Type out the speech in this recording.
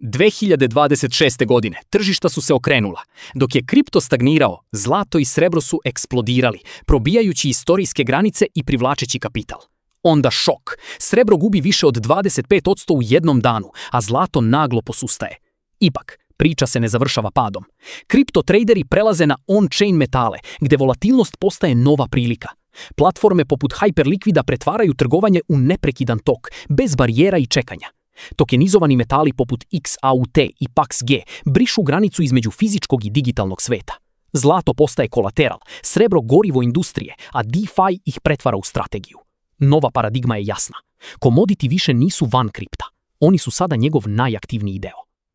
2026. godine tržišta su se okrenula. Dok je kripto stagnirao, zlato i srebro su eksplodirali, probijajući istorijske granice i privlačeći kapital. Onda šok. Srebro gubi više od 25% u jednom danu, a zlato naglo posustaje. Ipak, priča se ne završava padom. Kripto traderi prelaze na on-chain metale, gdje volatilnost postaje nova prilika. Platforme poput Hyperliquida pretvaraju trgovanje u neprekidan tok, bez barijera i čekanja. Tokenizovani metali poput XAUT i PAXG brišu granicu između fizičkog i digitalnog sveta. Zlato postaje kolateral, srebro gorivo industrije, a DeFi ih pretvara u strategiju. Nova paradigma je jasna. Komoditi više nisu van kripta. Oni su sada njegov najaktivniji deo.